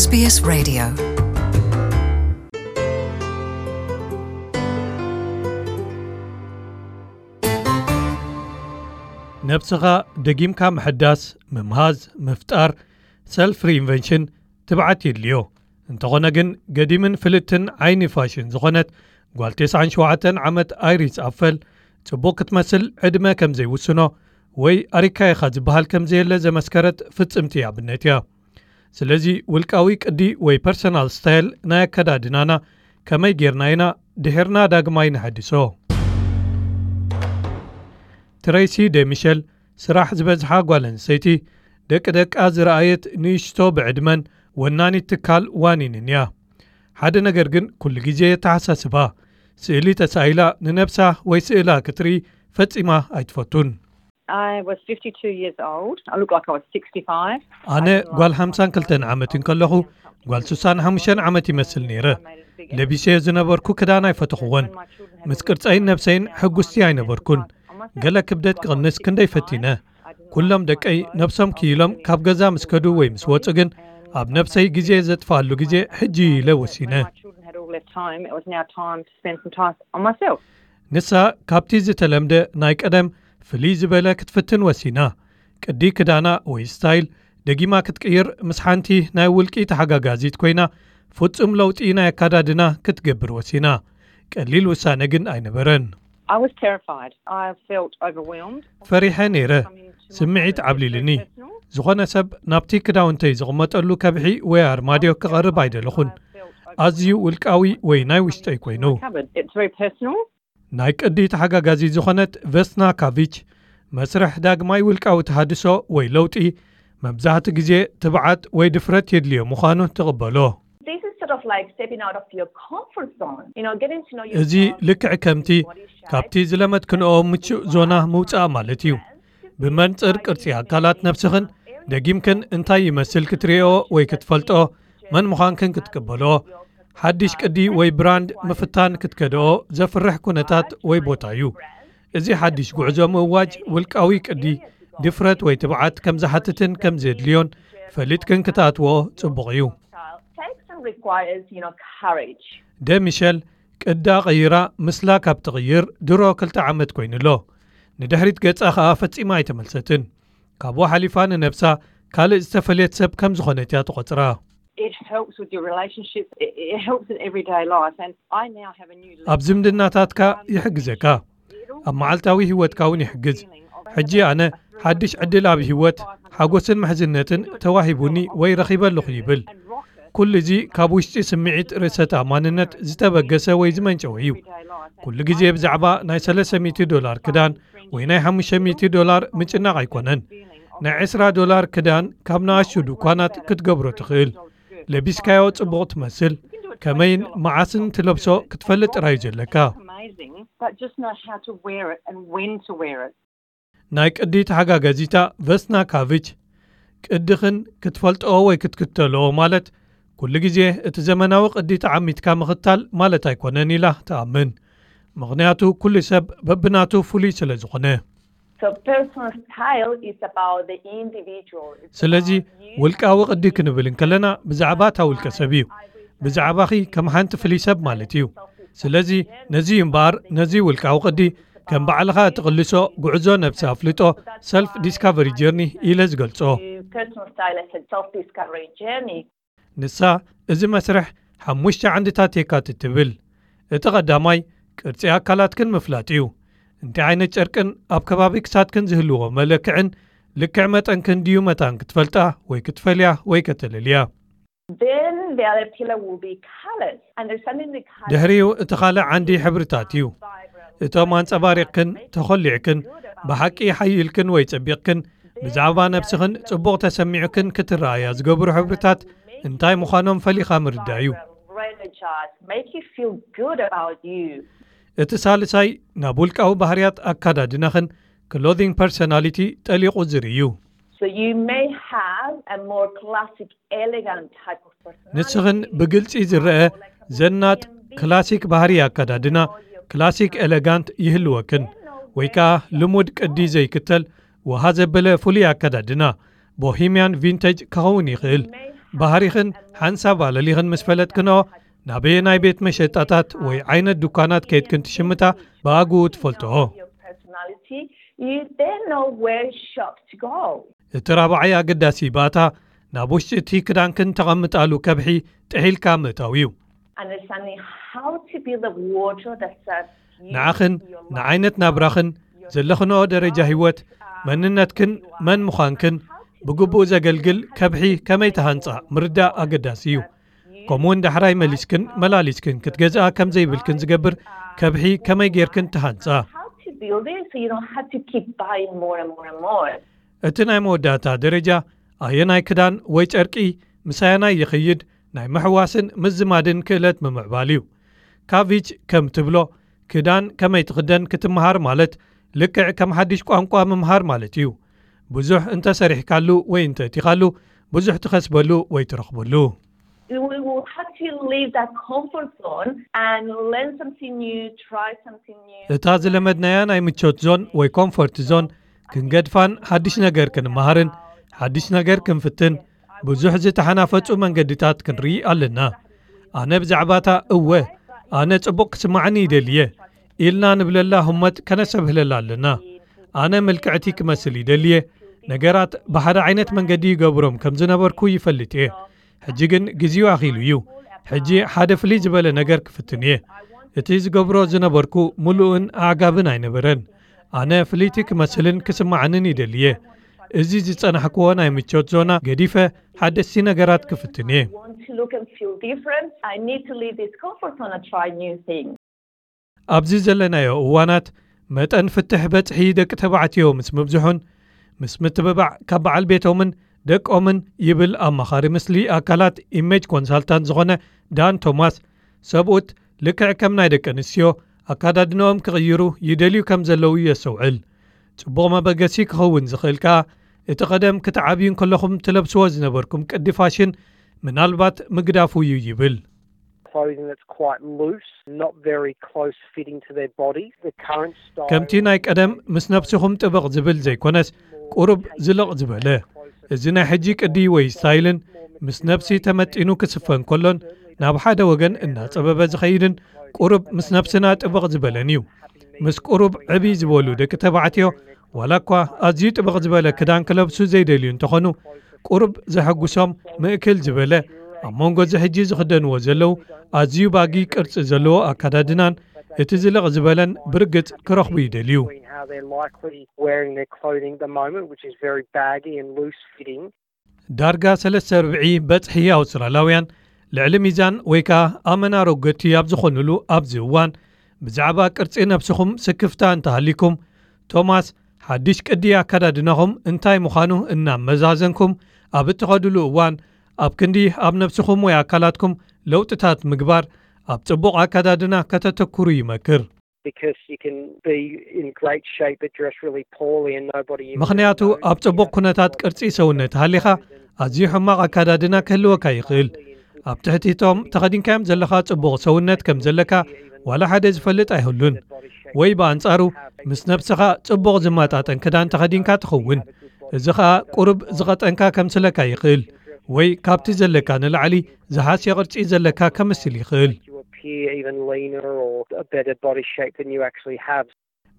SBS Radio. ነብስኻ ደጊምካ ምሕዳስ፣ ምምሃዝ፣ ምፍጣር፣ ሰልፍ ሪኢንቨንሽን ትብዓት የድልዮ። እንተኾነ ግን፣ ገዲምን ፍልጥትን ዓይኒ ፋሽን ዝኾነት ጓል ተስዓን ሸውዓተን ዓመት ኣይሪስ ኣፈል፣ ጽቡቕ ክትመስል ዕድመ ከም ዘይውስኖ ወይ ኣሪካ ኢኻ ዝበሃል ከም ዘየለ ዘመስከረት ፍጽምቲ ኣብነት እያ። ስለዚ፣ ውልቃዊ ቅዲ ወይ ፐርሰናል ስታይል ናይ ኣከዳድናና ከመይ ጌርና ኢና ድሒርና ዳግማይ ንሐድሶ? ትረይሲ ደ ሚሸል፣ ስራሕ ዝበዝሓ ጓል ኣንስተይቲ፣ ደቂ ደቃ ዝረኣየት ንእሽቶ ብዕድመን ወናኒት ትካል ዋኒንን እያ። ሓደ ነገር ግን ኩሉ ግዜ የተሓሳስባ፣ ስእሊ ተሳኢላ ንነብሳ ወይ ስእላ ክትርኢ ፈጺማ ኣይትፈቱን። I was fifty-two years old. I looked like I was sixty-five. ኣነ ጓል ሓምሳን ክልተን ዓመት እንከለኹ፣ ጓል ስሳን ሓሙሽተን ዓመት ይመስል ነይረ። ለቢሰዮ ዝነበርኩ ክዳን ኣይፈተኹዎን። ምስ ቅርጸይን ነብሰይን ሕጉስቲ ኣይነበርኩን። ገለ ክብደት ክቕንስ ክንደይ ፈቲነ። ኩሎም ደቀይ ነብሶም ክኢሎም ካብ ገዛ ምስ ከዱ ወይ ምስ ወጹ ግን፣ ኣብ ነብሰይ ግዜ ዘጥፍኣሉ ግዜ ሕጂ ኢለ ወሲነ። My children had all left home. It was now time to spend some time on myself. ንሳ ካብቲ ዝተለምደ ናይ ቀደም ፍልይ ዝበለ ክትፍትን ወሲና። ቅዲ ክዳና ወይ ስታይል ደጊማ ክትቅይር ምስ ሓንቲ ናይ ውልቂ ተሓጋጋዚት ኮይና፣ ፍጹም ለውጢ ናይ ኣካዳድና ክትገብር ወሲና። ቀሊል ውሳነ ግን ኣይነበረን። I was terrified. I felt overwhelmed. ፈሪሐ ነይረ። ስምዒት ዓብሊልኒ። ዝኾነ ሰብ ናብቲ ክዳውንተይ ዝቕመጠሉ ከብሒ ወይ ኣርማድዮ ክቐርብ ኣይደለኹን። ኣዝዩ ውልቃዊ ወይ ናይ ውሽጠይ ኮይኑ። Cupboard. It's very personal. ናይ ቅዲ ተሓጋጋዚ ዝኾነት ቨስና ካቪች፣ መስርሕ ዳግማይ ውልቃዊ ተሃድሶ ወይ ለውጢ መብዛሕትኡ ግዜ ትብዓት ወይ ድፍረት የድልዮ ምዃኑ ትቕበሎ። This is sort of like stepping out of your comfort zone. You know, getting to know እዚ yourself, ልክዕ ከምቲ your body shape, ካብቲ ዝለመድክንኦ ምቹእ ዞና ምውጻእ ማለት እዩ። ብመንጽር ቅርጺ ኣካላት ነብስኽን ደጊምክን እንታይ ይመስል ክትርእዮ ወይ ክትፈልጦ፣ መን ምዃንክን ክትቅበሎ፣ ሓድሽ ቅዲ ወይ ብራንድ ምፍታን ክትከድኦ ዘፍርሕ ኩነታት ወይ ቦታ እዩ። እዚ ሓድሽ ጉዕዞ ምእዋጅ ውልቃዊ ቅዲ፣ ድፍረት ወይ ትብዓት ከም ዝሓትትን ከም ዘድልዮን ፈሊጥክን ክትኣትዎ ጽቡቕ እዩ። Takes and requires, you know, courage. ደ ሚሸል ቅዳ ቀይራ ምስላ ካብ ትቕይር ድሮ ክልተ ዓመት ኮይኑ ኣሎ። ንድሕሪት ገጻ ከኣ ፈጺማ ኣይተመልሰትን። ካብኡ ሓሊፋ ንነብሳ ካልእ ዝተፈልየት ሰብ ከም ዝኾነት እያ ትቖጽራ። It helps with your relationships. It, it helps in everyday life. And I now have a new ኣብ ዝምድናታትካ ይሕግዘካ፣ ኣብ መዓልታዊ ህይወትካ እውን ይሕግዝ። ሕጂ ኣነ ሓድሽ ዕድል ኣብ ህይወት፣ ሓጎስን ምሕዝነትን ተዋሂቡኒ ወይ ረኺበ ኣለኹ ይብል። ኩሉ እዚ ካብ ውሽጢ ስምዒት ርእሰ ተኣማንነት ዝተበገሰ ወይ ዝመንጨወ እዩ። ኩሉ ግዜ ብዛዕባ ናይ ሰለስተ ሚእቲ ዶላር ክዳን ወይ ናይ ሓሙሽተ ሚእቲ ዶላር ምጭናቕ ኣይኮነን። ናይ ዕስራ ዶላር ክዳን ካብ ንኣሽቱ ድኳናት ክትገብሮ ትኽእል። ለቢስካዮ ጽቡቕ ትመስል። ከመይን መዓስን ትለብሶ ክትፈልጥ ጥራይ እዩ ዘለካ። Amazing, but just know how to wear it and when to wear it. ናይ ቅዲ ተሓጋጋዚታ ቨስና ካቪች፣ ቅድኽን ክትፈልጥኦ ወይ ክትክተልኦ ማለት ኩሉ ግዜ እቲ ዘመናዊ ቅዲ ተዓሚትካ ምኽታል ማለት ኣይኮነን ኢላ ትኣምን። ምኽንያቱ ኩሉ ሰብ በብናቱ ፍሉይ ስለ ዝኾነ። So personal style is about the individual. It's ስለዚ about you. ውልቃዊ ቅዲ ክንብል እንከለና ብዛዕባ እታ ውልቀ ሰብ እዩ። ብዛዕባኺ ከም ሓንቲ ፍልይ ሰብ ማለት እዩ። ስለዚ ነዚ እዩ እምበኣር ነዚ ውልቃዊ ቅዲ ከም ባዕልኻ እትቕልሶ ጉዕዞ ነብሲ ኣፍልጦ፣ ሰልፍ ዲስካቨሪ ጀርኒ፣ ኢለ ዝገልጾ። Personal style is a self-discovery journey. ንሳ እዚ መስርሕ ሓሙሽተ ዓንድታት የካትት ትብል። እቲ ቀዳማይ ቅርጺ ኣካላትክን ምፍላጥ እዩ። እንታይ ዓይነት ጨርቅን ኣብ ከባቢ ክሳድክን ዝህልዎ መለክዕን ልክዕ መጠንክን ድዩ መታን ክትፈልጣ ወይ ክትፈልያ ወይ ከተለልያ። Then the other pillar will be colors. And there's something that colors ድሕሪኡ እቲ ካልእ ዓንዲ ሕብርታት እዩ። እቶም ኣንጸባሪቕክን ተኾሊዕክን ብሓቂ ሓይልክን ወይ ጸቢቕክን ብዛዕባ ነብስኽን ጽቡቕ ተሰሚዑክን ክትረኣያ ዝገብሩ ሕብርታት እንታይ ምዃኖም ፈሊኻ ምርዳእ እዩ። Re-energize, make you feel good about you. እቲ ሳልሳይ ናብ ውልቃዊ ባህርያት ኣካዳድናኽን ክሎዚንግ ፐርሶናሊቲ ጠሊቑ ዝርኢ እዩ። So you may have a more classic, elegant type of personality. ንስኽን ብግልጺ ዝረአ ዘናጥ ክላሲክ ባህሪ ኣካዳድና፣ ክላሲክ ኤሌጋንት ይህልወክን፣ ወይ ከኣ ልሙድ ቅዲ ዘይክተል ወሃ ዘበለ ፍሉይ ኣካዳድና፣ ቦሂምያን ቪንተጅ፣ ክኸውን ይኽእል። ባህሪኽን ሓንሳብ ኣለሊኽን ምስ ፈለጥክንኦ፣ ናበየናይ ቤት መሸጣታት ወይ ዓይነት ድኳናት ከይድክን ትሽምታ ብኣግኡ ትፈልጥኦ። እቲ ራብዓይ ኣገዳሲ ባእታ፣ ናብ ውሽጢ እቲ ክዳንክን ተቐምጣሉ ከብሒ ጥሒልካ ምእታው እዩ። ንዓኽን ንዓይነት ናብራኽን ዘለኽንኦ ደረጃ ህይወት፣ መንነትክን መን ምዃንክን ብግቡእ ዘገልግል ከብሒ ከመይ ትሃንጻ ምርዳእ ኣገዳሲ እዩ። ከምኡውን ዳሕራይ መሊስክን መላሊስክን ክትገዝኣ ከም ዘይብልክን ዝገብር ከብሒ ከመይ ጌርክን ትሃንጻ። እቲ ናይ መወዳእታ ደረጃ ኣየናይ ክዳን ወይ ጨርቂ ምስ ኣየናይ ይኸይድ ናይ ምሕዋስን ምዝማድን ክእለት ምምዕባል እዩ። ካቪች ከም ትብሎ፣ ክዳን ከመይ ትኽደን ክትምሃር ማለት ልክዕ ከም ሓድሽ ቋንቋ ምምሃር ማለት እዩ። ብዙሕ እንተሰሪሕካሉ ወይ እንተእቲኻሉ ብዙሕ ትኸስበሉ ወይ ትረኽበሉ። እታ ዝለመድናያ ናይ ምቾት ዞን ወይ ኮምፎርት ዞን ክንገድፋን ሓድሽ ነገር ክንመሃርን ሓድሽ ነገር ክንፍትን ብዙሕ ዝተሓናፈጹ መንገድታት ክንርኢ ኣለና። ኣነ ብዛዕባታ እወ ኣነ ጽቡቕ ክስማዓኒ ይደልየ ኢልና ንብለላ ህሞት ከነሰብህለላ ኣለና። ኣነ ምልክዕቲ ክመስል ይደልየ ነገራት ብሓደ ዓይነት መንገዲ ይገብሮም ከም ዝነበርኩ ይፈልጥ እየ። ሕጂ ግን ግዜኡ ኣኺሉ እዩ። ሕጂ ሓደ ፍልይ ዝበለ ነገር ክፍትን እየ። እቲ ዝገብሮ ዝነበርኩ ምሉእን ኣዕጋብን ኣይነበረን። ኣነ ፍልይቲ ክመስልን ክስማዓንን ይደልየ። እዚ ዝጸናሕክዎ ናይ ምቾት ዞና ገዲፈ ሓደስቲ ነገራት ክፍትን እየ። ኣብዚ ዘለናዮ እዋናት መጠን ፍትሕ በጽሒ ደቂ ተባዕትዮ ምስ ምብዝሑን ምስ ምትብባዕ ካብ በዓል ቤቶምን ደቆምን ይብል ኣማኻሪ ምስሊ ኣካላት ኢሜጅ ኮንሳልታንት ዝኾነ ዳን ቶማስ፣ ሰብኡት ልክዕ ከም ናይ ደቂ ኣንስትዮ ኣካዳድንኦም ክቕይሩ ይደልዩ ከም ዘለዉ የስተውዕል። ጽቡቕ መበገሲ ክኸውን ዝኽእል ከኣ እቲ ቀደም ክትዓብዩ እንከለኹም ትለብስዎ ዝነበርኩም ቅዲ ፋሽን ምናልባት ምግዳፉ እዩ ይብል። ከምቲ ናይ ቀደም ምስ ነብስኹም ጥብቕ ዝብል ዘይኮነስ ቁሩብ ዝልቕ ዝበለ። እዚ ናይ ሕጂ ቅዲ ወይ ስታይልን ምስ ነብሲ ተመጢኑ ክስፈን ከሎን ናብ ሓደ ወገን እናጸበበ ዝኸይድን ቁሩብ ምስ ነብስና ጥብቕ ዝበለን እዩ። ምስ ቁሩብ ዕብይ ዝበሉ ደቂ ተባዕትዮ ዋላ እኳ ኣዝዩ ጥብቕ ዝበለ ክዳን ክለብሱ ዘይደልዩ እንተኾኑ ቁሩብ ዘሐጉሶም ምእክል ዝበለ ኣብ መንጎ እዚ ሕጂ ዝኽደንዎ ዘለዉ ኣዝዩ ባጊ ቅርጺ ዘለዎ ኣካዳድናን እቲ ዝልቕ ዝበለን ብርግጽ ክረኽቡ ይደልዩ። ዳርጋ ሰለስተ ርብዒ በጽሒ ኣውስትራላውያን ልዕሊ ሚዛን ወይ ከኣ ኣመና ረጎድቲ ኣብ ዝኾኑሉ ኣብዚ እዋን ብዛዕባ ቅርጺ ነብስኹም ስክፍታ እንተሃሊኩም ቶማስ ሓድሽ ቅዲ ኣካዳድናኹም እንታይ ምዃኑ እናመዛዘንኩም ኣብ እትኸድሉ እዋን ኣብ ክንዲ ኣብ ነብስኹም ወይ ኣካላትኩም ለውጥታት ምግባር ኣብ ጽቡቕ ኣካዳድና ከተተኩሩ ይመክር። ምኽንያቱ ኣብ ጽቡቕ ኩነታት ቅርጺ ሰውነት ሃሊኻ ኣዝዩ ሕማቕ ኣካዳድና ክህልወካ ይኽእል። ኣብ ትሕቲቶም ተኸዲንካዮም ዘለኻ ጽቡቕ ሰውነት ከም ዘለካ ዋላ ሓደ ዝፈልጥ ኣይህሉን። ወይ ብኣንጻሩ ምስ ነብስኻ ጽቡቕ ዝመጣጠን ክዳን ተኸዲንካ ትኸውን። እዚ ኸኣ ቁሩብ ዝቐጠንካ ከምስለካ ይኽእል ወይ ካብቲ ዘለካ ንላዕሊ ዝሃስየ ቅርጺ ዘለካ ከምስል ይኽእል።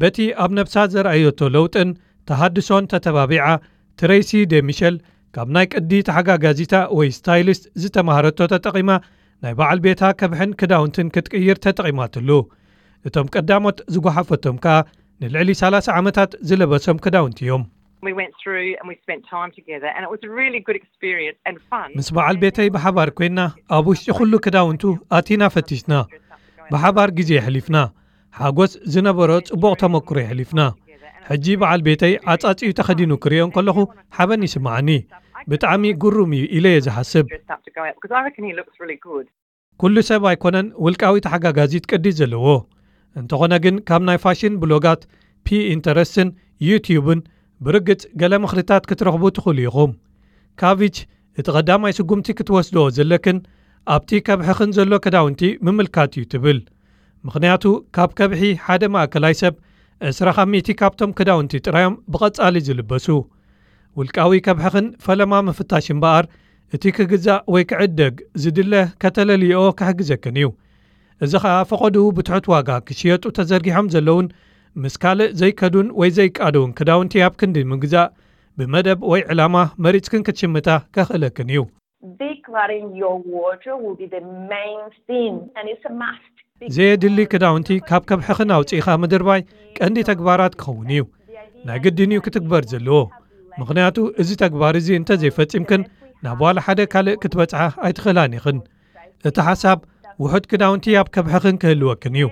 በቲ ኣብ ነብሳ ዘርኣየቶ ለውጥን ተሃድሶን ተተባቢዓ ትረይሲ ደሚሸል ካብ ናይ ቅዲ ተሓጋጋዚታ ወይ ስታይሊስት ዝተማሃረቶ ተጠቒማ ናይ በዓል ቤታ ከብሕን ክዳውንትን ክትቅይር ተጠቒማትሉ። እቶም ቀዳሞት ዝጓሓፈቶም ከኣ ንልዕሊ ሰላሳ ዓመታት ዝለበሶም ክዳውንቲ እዮም። We went through and we spent time together and it was a really good experience and fun. ምስ በዓል ቤተይ ብሓባር ኮይና ኣብ ውሽጢ ኩሉ ክዳውንቱ ኣቲና ፈቲሽና ብሓባር ግዜ የሕሊፍና። ሓጎስ ዝነበሮ ጽቡቕ ተመክሮ የሕሊፍና። ሕጂ በዓል ቤተይ ዓጻጺኡ ተኸዲኑ ክርእዮ እንከለኹ ሓበን ይስምዓኒ። ብጣዕሚ ግሩም እዩ ኢለ እየ ዝሓስብ። Dressed up to go out because I reckon he looks really good. ኩሉ ሰብ ኣይኮነን ውልቃዊ ተሓጋጋዚት ቅዲ ዘለዎ። እንተኾነ ግን ካብ ናይ ፋሽን ብሎጋት፣ ፒንተረስትን ዩትዩብን ብርግጽ ገለ ምኽርታት ክትረኽቡ ትኽእሉ ኢኹም። ካቪች እቲ ቀዳማይ ስጉምቲ ክትወስድኦ ዘለክን ኣብቲ ከብሕኽን ዘሎ ክዳውንቲ ምምልካት እዩ ትብል። ምኽንያቱ ካብ ከብሒ ሓደ ማእከላይ ሰብ ዕስራ ካብ ሚእቲ ካብቶም ክዳውንቲ ጥራዮም ብቐጻሊ ዝልበሱ። ውልቃዊ ከብሕኽን ፈለማ ምፍታሽ እምበኣር እቲ ክግዛእ ወይ ክዕደግ ዝድለ ከተለልዮ ክሕግዘክን እዩ። እዚ ኸኣ ፈቐድኡ ብትሑት ዋጋ ክሽየጡ ተዘርጊሖም ዘለውን ምስ ካልእ ዘይከዱን ወይ ዘይቃደውን ክዳውንቲ ኣብ ክንዲ ምግዛእ ብመደብ ወይ ዕላማ መሪጽክን ክትሽምታ ከኽእለክን እዩ። Decluttering your wardrobe will be the main thing, and it's a must. ዘየድሊ ክዳውንቲ ካብ ከብሕኽን ኣውጺእኻ ምድርባይ ቀንዲ ተግባራት ክኸውን እዩ። ናይ ግድን እዩ ክትግበር ዘለዎ። ምኽንያቱ እዚ ተግባር እዚ እንተዘይፈጺምክን ናብ ዋላ ሓደ ካልእ ክትበጽሓ ኣይትኽእላን ኢኽን። እቲ ሓሳብ ውሑድ ክዳውንቲ ኣብ ከብሕኽን ክህልወክን እዩ።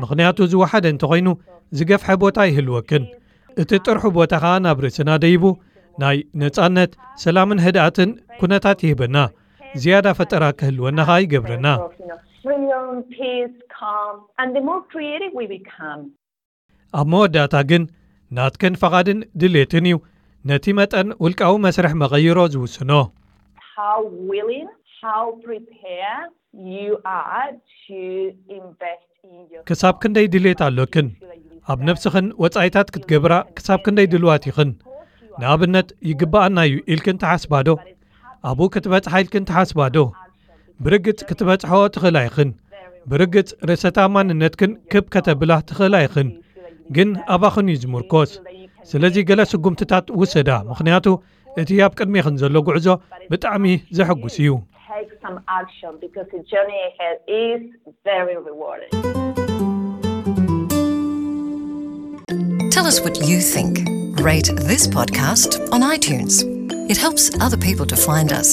ምኽንያቱ ዝወሓደ እንተኾይኑ ዝገፍሐ ቦታ ይህልወክን። እቲ ጥርሑ ቦታ ኸኣ ናብ ርእስና ደይቡ ናይ ነጻነት፣ ሰላምን ህድኣትን ኩነታት ይህበና። ዝያዳ ፈጠራ ክህልወና ኸኣ ይገብረና። Freedom, peace, calm, and the more creative we become. ኣብ መወዳእታ ግን ናትክን ፈቓድን ድሌትን እዩ ነቲ መጠን ውልቃዊ መስርሕ መቐይሮ ዝውስኖ። How willing, how prepared you are to invest in your ክሳብ ክንደይ ድሌት ኣሎክን ኣብ ነብስኽን ወጻኢታት ክትገብራ ክሳብ ክንደይ ድልዋት ኢኽን? ንኣብነት ይግብኣና እዩ ኢልክን ትሓስባዶ? ኣብኡ ክትበጽሓ ኢልክን ትሓስባዶ? ብርግጽ ክትበጽሖ ትኽእላ ኢኽን። ብርግጽ ርእሰ ተኣማንነትክን ክብ ከተብላ ትኽእላ ኢኽን። ግን ኣባኽን እዩ ዝምርኮስ። ስለዚ ገለ ስጉምትታት ውሰዳ፣ ምኽንያቱ እቲ ኣብ ቅድሜኽን ዘሎ ጉዕዞ ብጣዕሚ ዘሐጉስ እዩ። Take some action because the journey ahead is very rewarding. Tell us what you think. Rate this podcast on iTunes. It helps other people to find us.